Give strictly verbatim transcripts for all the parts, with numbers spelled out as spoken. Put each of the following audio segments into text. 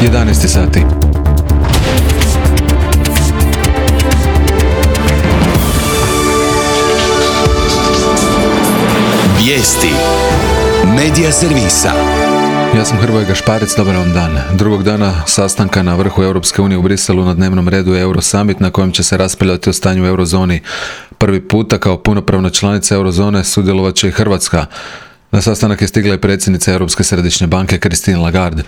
jedanaest sati. Vijesti Medija servisa. Ja sam Hrvoje Gašparec, dobar vam dan. Drugog dana sastanka na vrhu Europske unije u Briselu na dnevnom redu je Eurosummit na kojem će se raspravljati o stanju u eurozoni. Prvi puta kao punopravna članica eurozone sudjelovat će i Hrvatska. Na sastanak je stigla i predsjednica Europske središnje banke Christine Lagarde.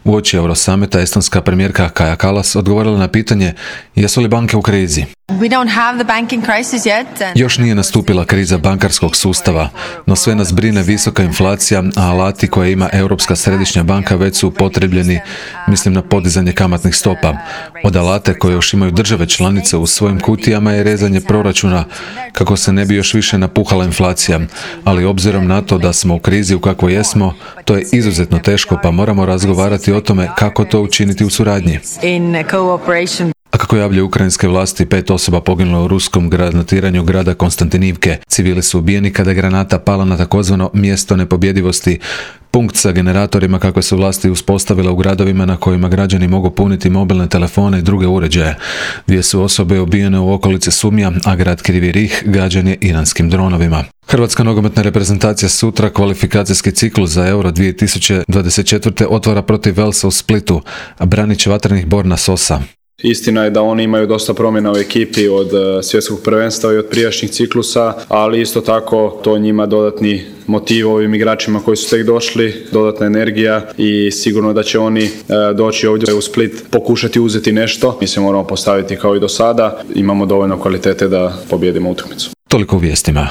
Uoči Eurosummita estonska premijerka Kaja Kallas odgovorila na pitanje jesu li banke u krizi. We don't have the banking crisis yet. Još nije nastupila kriza bankarskog sustava, no sve nas brine visoka inflacija, a alati koje ima Europska središnja banka već su upotrebljeni, mislim na podizanje kamatnih stopa. Od alate koje još imaju države članice u svojim kutijama je rezanje proračuna kako se ne bi još više napuhala inflacija, ali obzirom na to da smo u krizi u kakvoj jesmo, to je izuzetno teško pa moramo razgovarati o tome kako to učiniti u suradnji. In cooperation. A kako javljaju ukrajinske vlasti, pet osoba poginulo u ruskom granatiranju grada Konstantinivke. Civili su ubijeni kada je granata pala na takozvano mjesto nepobjedivosti, punkt sa generatorima kakve su vlasti uspostavile u gradovima na kojima građani mogu puniti mobilne telefone i druge uređaje. Dvije su osobe ubijene u okolici Sumja, a grad Krivi Rih gađan je iranskim dronovima. Hrvatska nogometna reprezentacija sutra kvalifikacijski ciklus za Euro dvije tisuće dvadeset četvrte otvara protiv Velsa u Splitu, a branit će Vatrenih Borna Sosa. Istina je da oni imaju dosta promjena u ekipi od svjetskog prvenstva i od prijašnjih ciklusa, ali isto tako to njima dodatni motiv ovim igračima koji su tek došli, dodatna energija i sigurno da će oni doći ovdje u Split pokušati uzeti nešto. Mi se moramo postaviti kao i do sada, imamo dovoljno kvalitete da pobijedimo utakmicu. Toliko u vijestima.